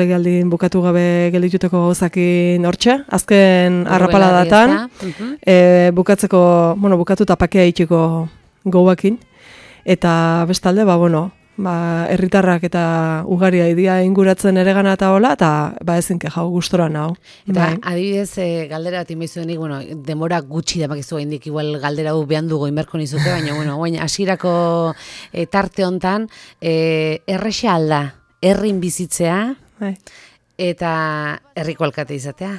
Legealdin bukatu gabe geldituteko gauzakin hortxe, azken arrapaladatan, bukatu tapakea itxiko gauakin, eta bestalde, herritarrak eta ugaria idia inguratzen ere gana eta hola, eta ezinke jau gustora nau. Eta adibidez, galdera bat inbeizuenik, demora gutxi damakizu gaindik, igual galdera gu behan dugu inberko nizuke, baina, hasierako tarte hontan, errexa alda, herrin bizitzea, eta herriko alkate izatea?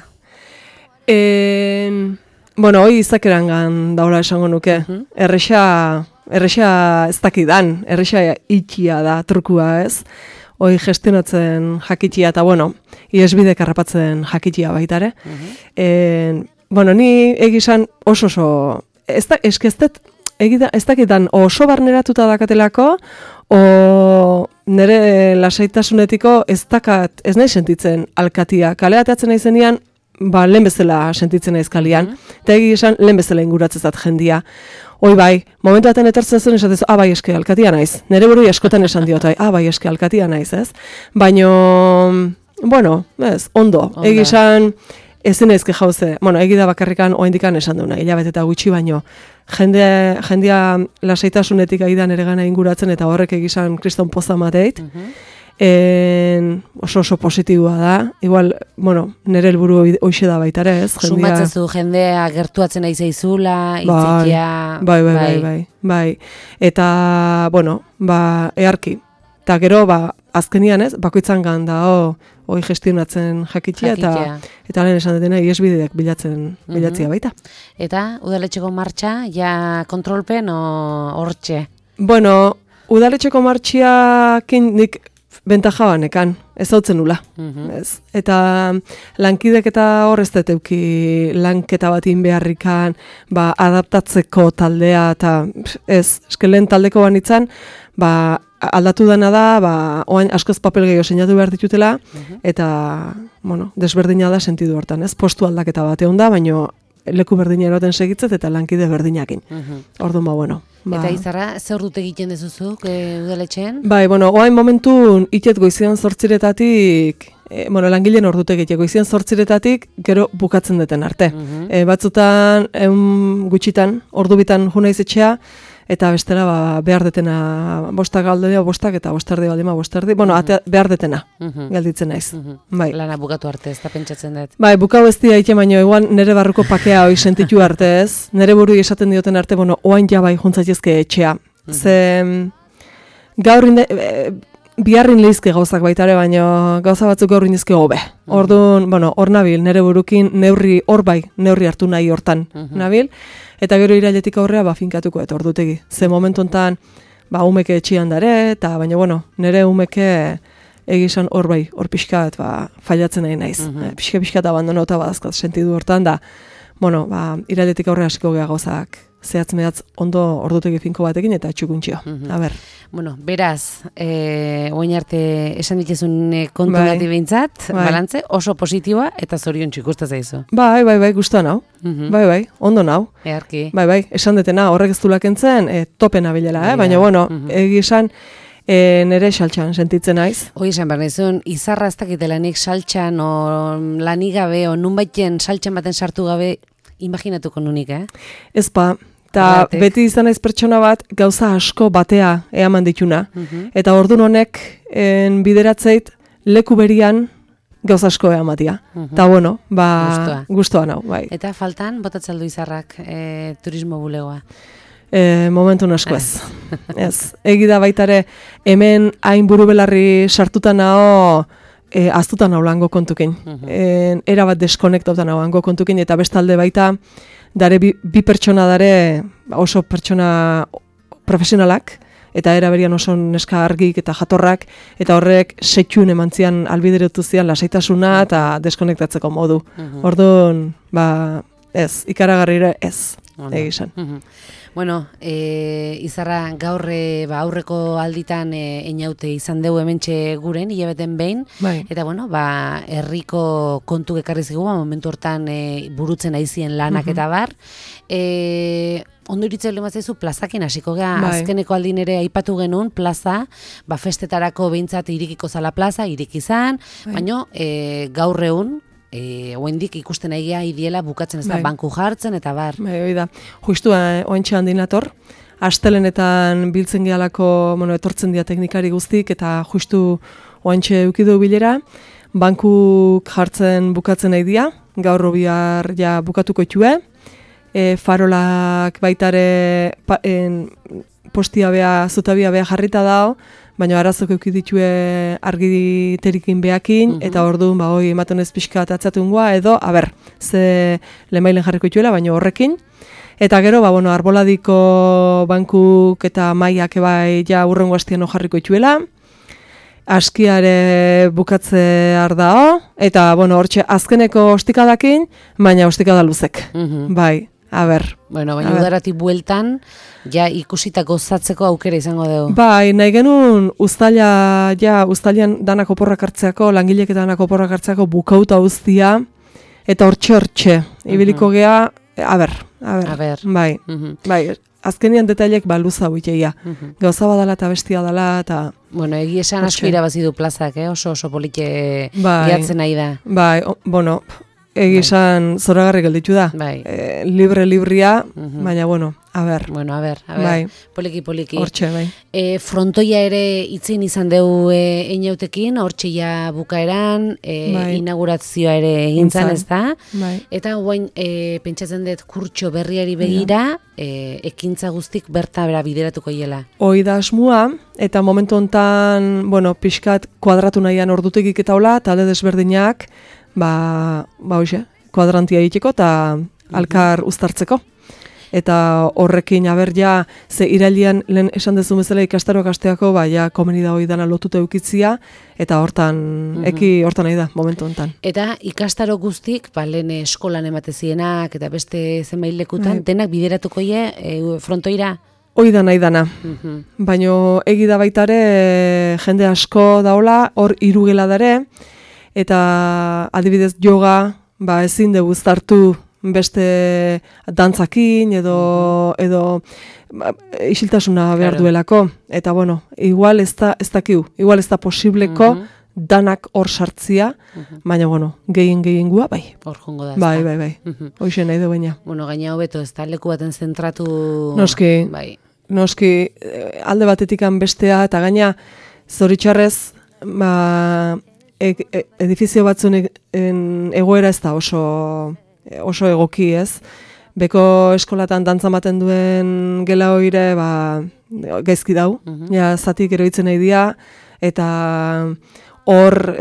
Hoi izakerangan daula esango nuke. Errexa ez dakidan, errexa itxia da, trukua ez. Hoi gestionatzen jakitia eta, iesbidek harrapatzen jakitia baitare. Ni egizan oso, ez dakidan oso barneratuta dakatelako, nire lasaitasunetiko ez nahi sentitzen alkatia. Kaleateatzen nahi zenian, lehen bezala sentitzen naiz kalian. Eta esan lehen bezala inguratzezat jendia. Hoi bai, momentu baten etortzen zen esatez, bai eske alkatia naiz. Nire buru askotan esan diot, bai eske alkatia naiz, ez? Baina, ondo. Egizan, ezin naizke jauze. Egida bakarrikan oaindikan esan duna, hilabete eta gutxi baino. Jendia lasaitasunetik aidan ere gana inguratzen eta horrek egizan kriston poza mateit. Oso positiboa da. Igual, nire helburu hoxe da baitare, ez? Sumatzezu jendea gertuatzen nahi zaizula, itzikia... Bai. Eta, earki. Eta gero, azkenian ez, bakoitzan ganda, hoi gestionatzen jakitia, eta lehen esan dutena, iesbideak bilatzia baita. Eta, udaletxeko martxa, ja kontrolpen o hortxe? Udaletxeko martxiakin nik bentaja banekan, ez hautzen nula. Eta lankidek eta hor ez deteuki lanketa batin beharrikan, adaptatzeko taldea, eta eskelen taldeko banitzan, aldatu dena da, oain askoz papel gehiago seinatu behar ditutela, eta, desberdina da sentidu hortan, ez? Postu aldaketa bat egon da, baina leku berdina eroten segitzet eta lankide berdinakin. Orduan, Eta Izarra, zer dut egiten dezuzuk udaletxean? Oain momentun itet goizian 8-etatik, langileen ordute egite goizian 8-etatik gero bukatzen duten arte. Batzutan, gutxitan, ordubitan junaiz etxea, eta bestela behar detena bostak aldea, bostak eta bostardi baldima bostardi. Behar detena, gelditzen naiz. Lana bukatu arte, ez da pentsatzen dut. Bukau ez dira ite, baino, eguan nire barruko pakea hoi sentitu arte ez. Nire buru esaten dioten arte, oain jabai juntzatzezke etxea. Ze gaur biharrin lehizke gauzak baitare, baino gauza batzuk gaur indizke hobe. Orduan, hor nabil, nire burukin neurri hartu nahi hortan nabil. Eta gero irailetik aurrea finkatuko eta ordutegi. Ze momentu hontan umeke etxian dare, eta baina nire umeke egizan hor pixkat failatzen nahi naiz. Pixka abandonauta badazkat sentidu hortan da, irailetik aurrea hasiko gea gauzak zehatz-mehatz ondo ordutegi finko batekin eta txukuntxio. Beraz, oain arte esan dituzun kontu bati behintzat, balantze, oso positiboa eta zorion txikusta zaizu. Bai, guztua nau. Ondo nau. Earki. Esan detena horrek ez du lakentzen, topen abilela, baina, egizan, nere saltxan sentitzen naiz. Hoi esan behar nizun, Izarra ez dakitelanik saltxan, o lanik gabe, o nunbaiten saltxan baten sartu gabe, imaginatuko nunik, Ezpa. Eta beti izan naiz pertsona bat gauza asko batea eaman dituna. Eta ordun honek bideratzeit leku berian gauza asko eamatia. Eta guztua nau. Eta faltan, botatzaldu Izarrak turismo bulegoa? Momentun asko ez. Egida baitare hemen hain buru belarri sartuta nao aztutan hau lango kontukin. Era bat deskonektautan hau lango kontukin eta bestalde baita dare bi pertsona dare oso pertsona profesionalak eta era berian oso neska argik eta jatorrak eta horrek setxun emantzian albideretu zian lasaitasuna eta deskonektatzeko modu. Orduan, ez, ikaragarrire ez, egizan. Izarra gaur aurreko alditan einaute izan dugu hementxe guren, hilabeten behin, eta herriko kontu ekarri zigu, momentu hortan burutzen aizien lanak eta bar. ondo iritzen lehen batzaizu plazakin hasiko gea, azkeneko aldin ere aipatu genuen plaza, festetarako behintzat irikiko zala plaza, irikizan, baina gaur egun, oendik ikusten egia idiela bukatzen ez da banku jartzen eta bar. Hoi da, justu oentxe handinator, astelenetan biltzen gehalako, etortzen dira teknikari guztik eta justu oentxe eukidu bilera, bankuk jartzen bukatzen nahi dira, gaur bihar ja bukatuko itxue, farolak baitare postia beha, zutabia beha jarrita dao, baina arazok eukiditue argiterikin behakin, eta orduan hoi ematen ez pixka atzatungua, edo, ze lemailen jarriko ituela, baina horrekin. Eta gero, arboladiko bankuk eta maiak ebai ja urrengo hastian jarriko ituela, askiare bukatze ardao, eta, hortxe azkeneko ostikadakin, baina ostikada luzek, bai. Bueno, baina udaratik bueltan, ja ikusitako gozatzeko aukera izango dugu. Bai, nahi genuen uztailan danak oporrak hartzeako, langilek eta danak oporrak hartzeako bukauta uztia, eta hortxe, ibiliko gea, bai, azkenian detailek luza huiteia. Gauza badala eta bestia dala, eta... Bueno, egia esan asko irabazi du plazak, oso polite gehatzen nahi da. Bai, egizan zoragarri gelditu da. Librea, baina, bai. Poliki. Hortxe, bai. Frontoia ere itzin izan dugu einautekin, hortxe ja bukaeran, inaugurazioa ere egintzan ez da. Eta guain, pentsatzen dut kurtxo berriari begira, ekintza guztik berta bera bideratuko hiela. Hoi da asmua, eta momentu hontan, pixkat kuadratu nahian ordutegik eta hola, talde desberdinak, kuadrantia egiteko eta alkar uztartzeko. Eta horrekin ze irailean lehen esan dezun bezala ikastaroak asteako, komeni da hori dana lotuta eukitzia, eta hortan nahi da, momentu honetan. Eta ikastaro guztik, lehen eskolan ematezienak, eta beste zenbait lekutan, denak bideratuko frontoira? Hoi da nahi dana. Baina egi da baitare jende asko daola, hor irugela dare, eta adibidez yoga, ezin dugu uztartu beste dantzakin edo isiltasuna behar duelako. Eta igual ez da posibleko danak hor sartzia, baina gehien gua, bai. Hor jongo da. Bai. Hoxe nahi du baina. Gaina hobeto ez da leku baten zentratu... Noski, alde batetikan bestea, eta gaina zoritxarrez, edifizio batzun egoera ez da oso egoki ez. Beko eskolatan dantza maten duen gela hoire gaizki dau. Zatik eroitzen nahi dia, eta hor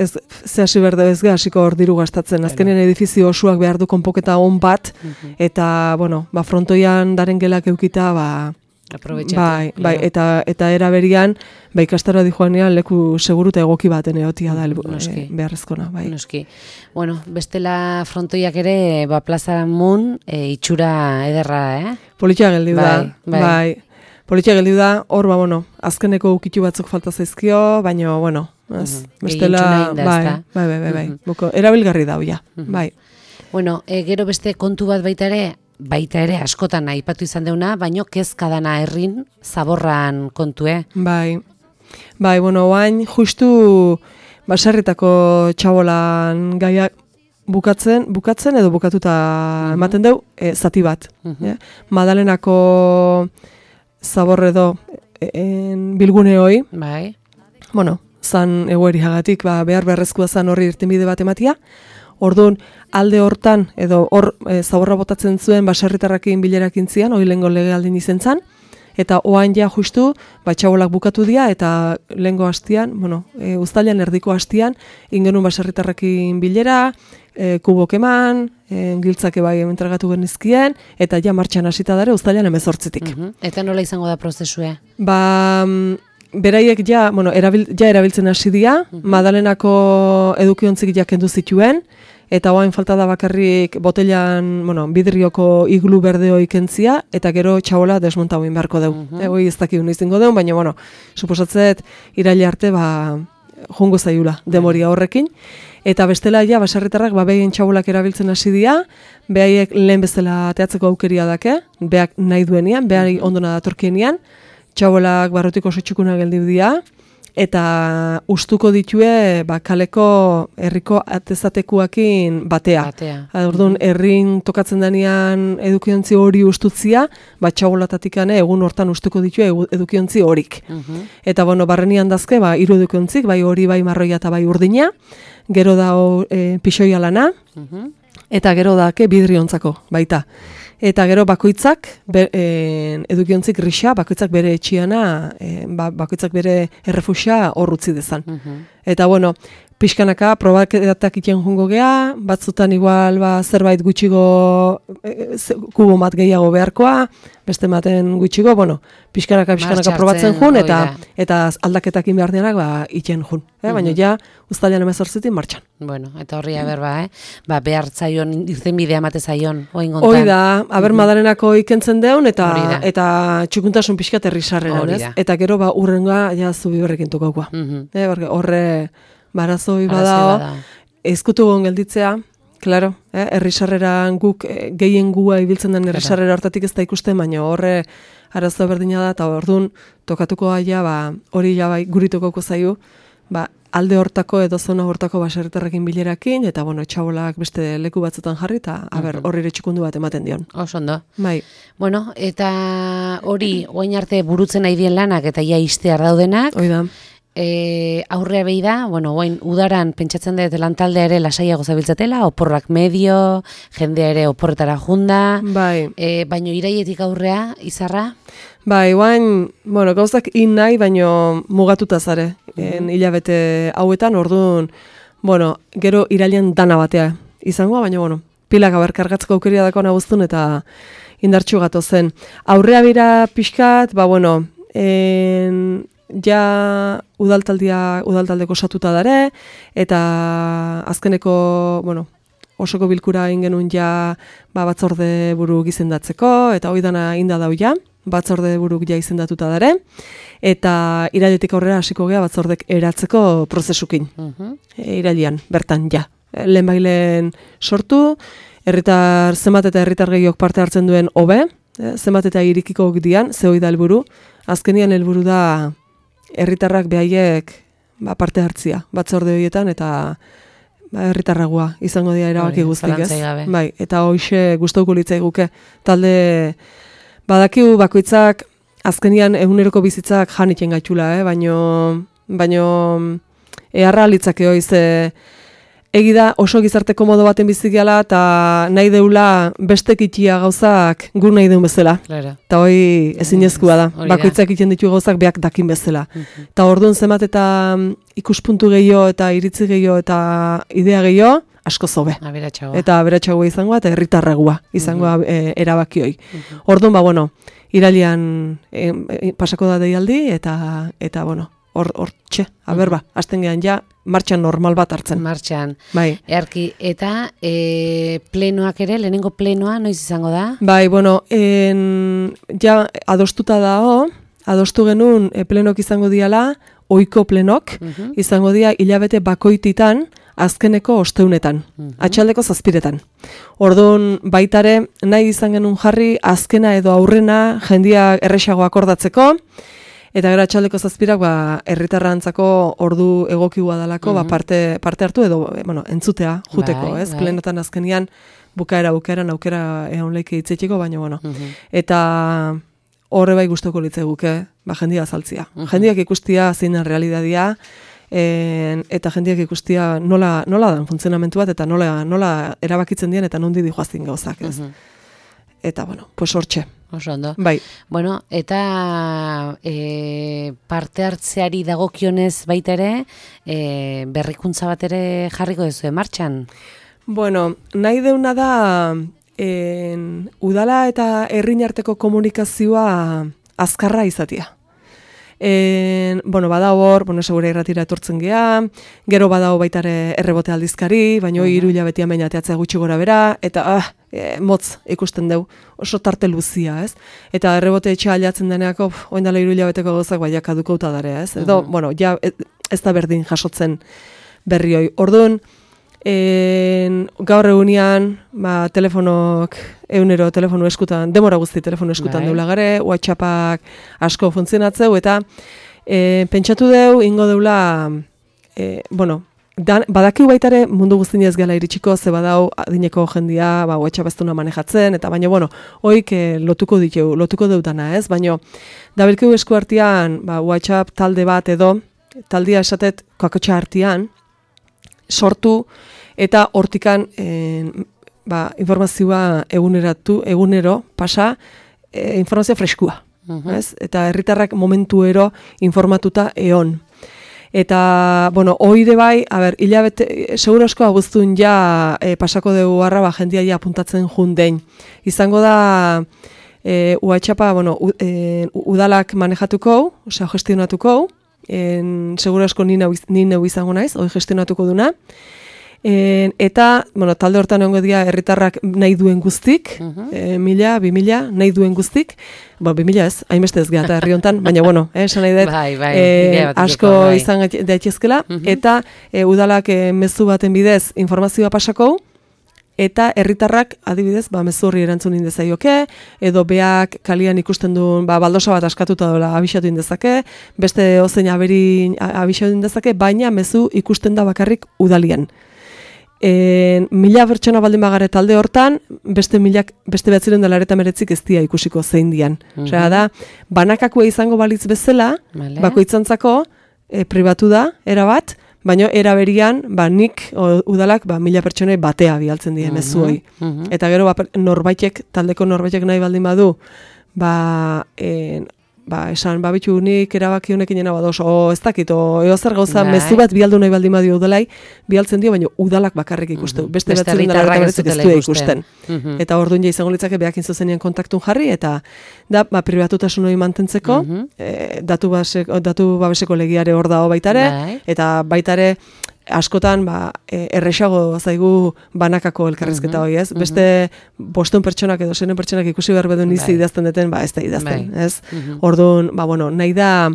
zehasi berde ez hasiko hor diru gastatzen. Azkenen edifizio osoak behar du konpoketa on bat, eta frontoian daren gelak eukita, bai, eta eraberian, ikastaroa di joanean leku seguru eta egoki baten egotia da beharrezkona, bai. Noski. Bestela frontoiak ere, plaza mun, itxura ederra, Politia geldiu da, bai. Politia geldiu da, hor, azkeneko ukitu batzuk falta zaizkio, baina, bestela, bai. Erabilgarri da, bai. Gero beste kontu bat baita ere askotan aipatu izan deuna, baino kezka dana herrin zaborran kontue. Bai, oain justu baserritako txabolan gaiak bukatzen edo bukatuta ematen deu, zati bat. Madalenako zabor edo bilgune hoi. Bai. Zan egoeriagatik behar beharrezkoa zan horri irtenbide bat ematia. Orduan, alde hortan, edo hor zaborra botatzen zuen baserritarrakin bilerakin zian, hori lehengo legealdin izen zan, eta oain ja justu, txabolak bukatu dira, eta lehengo hastian, uztailean erdiko hastian, ingenun baserritarrakin bilera, kubok eman, giltzake bai entregatu genizkien, eta ja martxan hasita dare uztailean 18-tik. Eta nola izango da prozesua? Beraiek erabiltzen hasi dira, Madalenako edukiontzik ja kendu zituen, eta oain falta da bakarrik botellan, bidrioko iglu berdeo ikentzia, eta gero txabola desmonta hoin beharko deu. Hoi ez dakik izango deu, baina, suposatzet iraile arte, jungo zaiula demoria horrekin. Eta bestela ja baserritarrak behien txabolak erabiltzen hasi dira, behaiek lehen bezala ateatzeko aukeria dake, beak nahi duenian, behari ondona datorkienean, txabolak barrutiko oso txukuna geldiu dira, eta ustuko ditue kaleko herriko atezatekuakin batea. Orduan, herrin tokatzen denean edukiontzi hori ustutzia, txabolatatikane egun hortan ustuko ditue edukiontzi horik. Eta barrenian dazke, 3 edukiontzik, bai hori, bai marroia eta bai urdina, gero da pixoia lana, eta gero dake bidriontzako baita. Eta gero bakoitzak, edukiontzik grisa, bakoitzak bere etxiana, bakoitzak bere errefusia horrutzi dezan. Eta pixkanaka, probaketak iten jungo gea, batzutan igual zerbait gutxigo kubo bat gehiago beharkoa, beste maten gutxigo, pixkanaka probatzen jun, eta aldaketakin behar denak iten jun. Baina ja, uztailean 18 martxan. Eta horri berba, behar zaion, irtenbidea mate zaion, oin gontan. Hoi da, Madalenako ikentzen deun, eta txukuntasun pixkat errisarreran, eta gero urrenga ja zubi horrekin tukaukua. Horre barazoi badao, ezkutu gon gelditzea, klaro, errisarreran guk gehien gua ibiltzen den errisarrera hortatik ez da ikusten, baina horre arazo berdina da, eta orduan tokatuko aia, hori ja guritokoko zaiu, alde hortako edo zona hortako baserritarrekin bilerakin, eta txabolak beste leku batzutan jarri, eta horri txikundu bat ematen dion. Osondo. Bai. Eta hori, oain arte burutzen nahi dien lanak, eta ja iztear daudenak. Hoi da. Aurrea behi da, oain udaran pentsatzen dut lantaldea ere lasaiago zabiltzatela, oporrak medio, jendea ere oporretara junda, baino iraietik aurrea, izarra? Bai, oain, gauzak nahi, baino mugatuta zare, hilabete hauetan, orduan, gero irailean dana batea izangoa, baina, pilak aberkargatzeko aukeria dako naguztun eta indartxu gato zen. Aurrea bera pixkat, ja udaltaldeko osatuta dare, eta azkeneko, osoko bilkura ingenun ja batzorde buru gizendatzeko, eta hoi dana inda dau ja, batzorde buruk ja izendatuta dare, eta irailetik aurrera hasiko gea batzordek eratzeko prozesukin. Irailean, bertan ja. Lehenbailen sortu, herritar zenbat eta herritar gehiok parte hartzen duen hobe, zenbat eta irikiko dian, ze hoi da helburu, azkenian helburu da herritarrak behaiek parte hartzia, batzorde horietan, eta herritarragua izango dira erabaki guztik, ez? Bai, eta hoxe gustauko litzaiguke. Talde badakigu bakoitzak azkenian eguneroko bizitzak janiten gaitxula, baino eharra litzake hoiz egi da oso gizarte komodo baten bizikiala eta nahi deula bestek itia gauzak gur nahi deun bezala. Eta hoi ezinezkoa da. Bakoitzak iten ditu gauzak beak dakin bezala. Eta orduan zenbat eta ikuspuntu gehiago eta iritzi gehiago eta idea gehiago, asko zobe. Eta aberatsagoa izangoa eta herritarragoa izangoa erabakioi. Orduan, irailean pasako da deialdi eta hortxe, hasten gehan ja, martxan normal bat hartzen. Martxan. Bai. Earki, eta plenoak ere, lehenengo plenoa, noiz izango da? Bai, ja adostuta dago, adostu genuen plenok izango diala, ohiko plenok, izango dia hilabete bakoititan, azkeneko osteunetan, atxaldeko 7etan. Orduan baitare, nahi izan genuen jarri, azkena edo aurrena, jendia erresago akordatzeko, eta gero atxaldeko 7ak herritarrantzako ordu egokigua dalako parte hartu edo entzutea juteko, ez? Plenotan azkenian bukaeran aukera egon leike hitzetiko, baina eta horre bai gustoko litzeguke, jendia azaltzia. Jendiak ikustia zein den realitatea, eta jendiak ikustia nola dan funtzionamentu bat eta nola erabakitzen dien eta nondi dijoazin gauzak, ez? Eta pues hortxe. Oso ondo. Bai. Eta parte hartzeari dagokionez baita ere, berrikuntza bat ere jarriko duzu martxan? Nahi deuna da udala eta herrin arteko komunikazioa azkarra izatea. Badao hor, segura irratira etortzen gea, gero badao baitare errebote aldizkari, baina 3 hilabete amain ateatzea gutxi gora bera, eta motz ikusten deu, oso tarte luzia, ez? Eta errebote etxea aliatzen deneako, oindala 3 hilabeteko gauzak baiak adukauta darea, ez? Edo, ja, ez da berdin jasotzen berrioi. Orduan, Gaur egunean, telefonok, telefono eskutan, demora guzti telefono eskutan deula gare, WhatsAppak asko funtzionatzeu, eta pentsatu deu, ingo deula, badakiu baitare mundu guztien ez gala iritsiko, ze badau adineko jendia, WhatsApp ez duna manejatzen, eta baina, hoik lotuko deutana, ez? Baina, dabilkeu esku artean, WhatsApp talde bat edo, taldia esatet kakotxa artean, sortu, eta hortikan informazioa egunero pasa informazioa freskua. Ez? Eta herritarrak momentuero informatuta eon. Eta, oire bai, hilabete, segurasko abuztun ja pasako dugu harra, jendia ja apuntatzen jundein. Izango da, WhatsAppa, udalak manejatuko, osea, gestionatuko, segurasko ni neu izango naiz, hori gestionatuko duna. Eta, talde hortan egongo dira herritarrak nahi duen guztik, 1000, 2000, nahi duen guztik, 2000 ez, hainbeste ez gara eta herri hontan, baina, esan nahi dut, asko izan daitezkela, eta udalak mezu baten bidez informazioa pasako, eta herritarrak adibidez, mezu horri erantzun indezaioke, edo beak kalian ikusten duen, baldosa bat askatuta dola abixatu indezake, beste ozein abixatu indezake, baina mezu ikusten da bakarrik udalian. 1000 pertsona baldin bagare talde hortan, beste 999 ez dia ikusiko zein dian. Osea da, banakakua izango balitz bezala, bakoitzantzako pribatu da, erabat, baina eraberian, nik udalak 1000 pertsonei batea bialtzen dien mezuoi. Eta gero taldeko norbaitek nahi baldin badu, esan, bitu nik erabaki honekin jena badoz, ez dakit, eozer gauza, mezu bat bialdu nahi baldin badio udalai, bialtzen dio, baina udalak bakarrik ikustu. Beste ez du ikusten. Eta orduan izango litzake behakin zuzenean kontaktun jarri, eta da, pribatutasun hori mantentzeko, datu babeseko legiare hor dago baitare, eta baitare, askotan, erresago zaigu banakako elkarrizketa hori, ez? Beste 500 pertsonak edo 600 pertsonak ikusi behar bedun izi idazten deten, ez da idazten, ez? Orduan, nahi da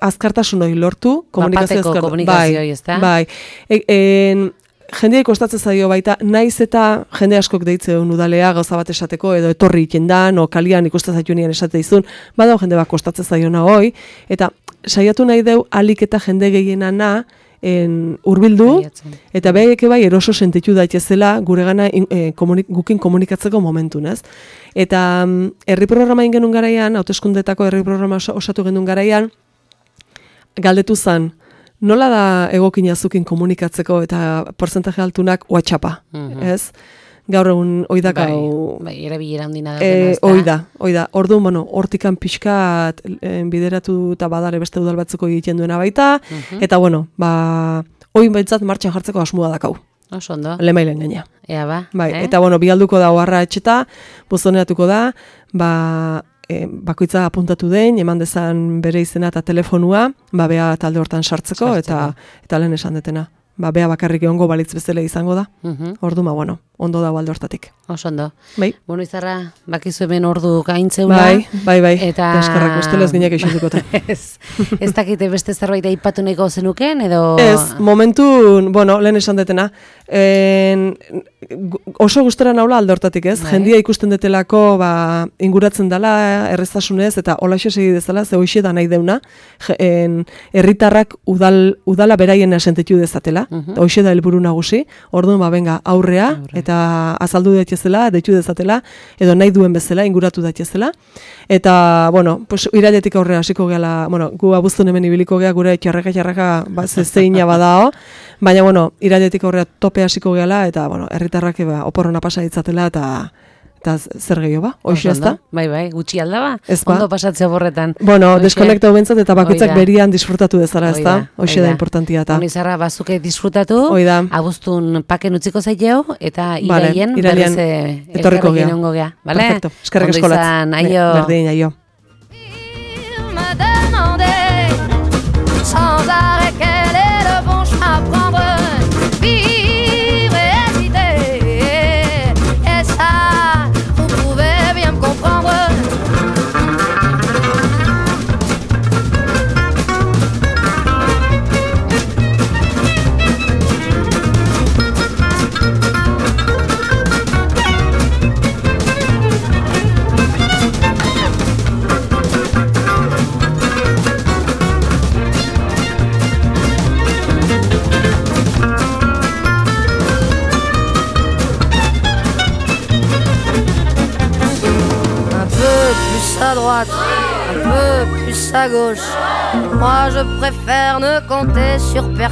azkartasun hori lortu, komunikazio komunikazio, ez da? Bai, jendeak kostatzen zaio baita, naiz eta jende askok deitzen udalea gauza bat esateko, edo etorri itendan, o kalian ikusten zaitu nian esate izun, badao jende bat kostatzen zaiona hoi, eta saiatu nahi deu alik eta jende gehienana, urbildu, eta beheke bai eroso sentitu daitezela gure gana gukin komunikatzeko momentun, ez? Eta herri programa ingenun garaian, hauteskundetako herri programa osatu genuen garaian, galdetu zan, nola da egokina zukin komunikatzeko eta portzentaje altunak WhatsAppa, ez? Gaur egun oidakau... erabilera handina da. Oida. Orduan, hortikan pixkat bideratu eta badare beste udal batzuko egiten duena baita, eta oin behintzat martxan jartzeko asmua dakau. Oso ondo. Lemailen gaina. Ea ba. Eta bialduko da oharra etxeta, buzoneatuko da, bakoitza apuntatu den, eman dezan bere izena eta telefonua, bea talde hortan sartzeko. eta lehen esan detena. Bea bakarrik egongo balitz bezala izango da. Ordu, ondo da alde hortatik. Oso ondo. Bai. Bueno, Izarra, bakizu hemen ordu gaintzeula. Bai. Eta... Eskarrak, ustelez gineak eixutukota. Ez dakite beste zerbait aipatu nahiko zenuken, edo... Ez, momentun, lehen esan detena, oso gustora naula alde hortatik, ez? Jendia ikusten detelako, inguratzen dela, erreztasunez, eta holaxe segi dezala, ze hoxe da nahi deuna, herritarrak udala beraien asentetu dezatela, hoxe da helburu nagusi, orduan, benga, aurrea, eta azaldu daitezela, deitu dezatela, edo nahi duen bezala, inguratu daitezela, eta, irailetik aurrea hasiko gehala, gu abuztun hemen ibiliko gea, gure txarraka, zeina badao, baina, irailetik aurrea tope hasiko gehala, eta, herritarrak oporrona pasa ditzatela, eta zer gehiago hoxe ez da? Bai, gutxi alda ba? Ondo pasatzea borretan. Deskonektau bentzat eta bakoitzak berian disfrutatu dezara, ez da? Hoxe da importantia eta. Izarra, bazuke disfrutatu, abuztun paken utziko zaiteo, eta iraien berriz elkarrekin ongo gea. Perfecto, eskerrek eskolatz. Ondo izan, aio. Berdin, aio. à droite, un peu plus à gauche. Moi je préfère ne compter sur personne.